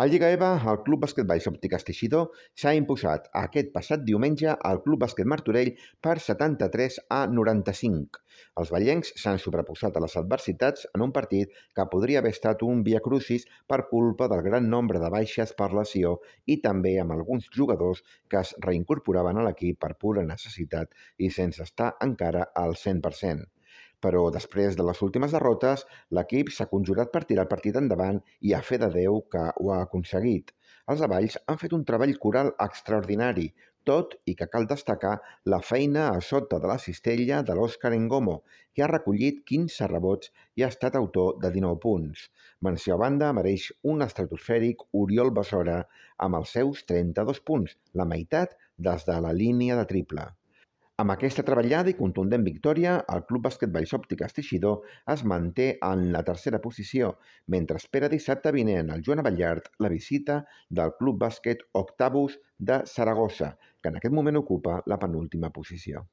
A Lliga EVA, el Club Bàsquet Valls Òptiques Teixidor s'ha imposat aquest passat diumenge al Club Bàsquet Martorell per 73-95. Els vallencs s'han sobreposat a les adversitats en un partit que podria haver estat un viacrucis per culpa del gran nombre de baixes per lesió i també amb alguns jugadors que es reincorporaven a l'equip per pura necessitat i sense estar encara al 100%. Però després de les últimes derrotes, l'equip s'ha conjurat per tirar el partit endavant i a fe de Déu que ho ha aconseguit. Els Avalls han fet un treball coral extraordinari, tot i que cal destacar la feina a sota de la cistella de l'Òscar Engomo, que ha recollit 15 rebots i ha estat autor de 19 punts. Menció a banda mereix un estratosfèric Oriol Besora amb els seus 32 punts, la meitat des de la línia de triple. Amb aquesta treballada i contundent victòria, el Club Bàsquet Valls Òptiques Teixidor es manté en la tercera posició, mentre espera dissabte vinent al Joan Abellart la visita del Club Bàsquet Octavus de Saragossa, que en aquest moment ocupa la penúltima posició.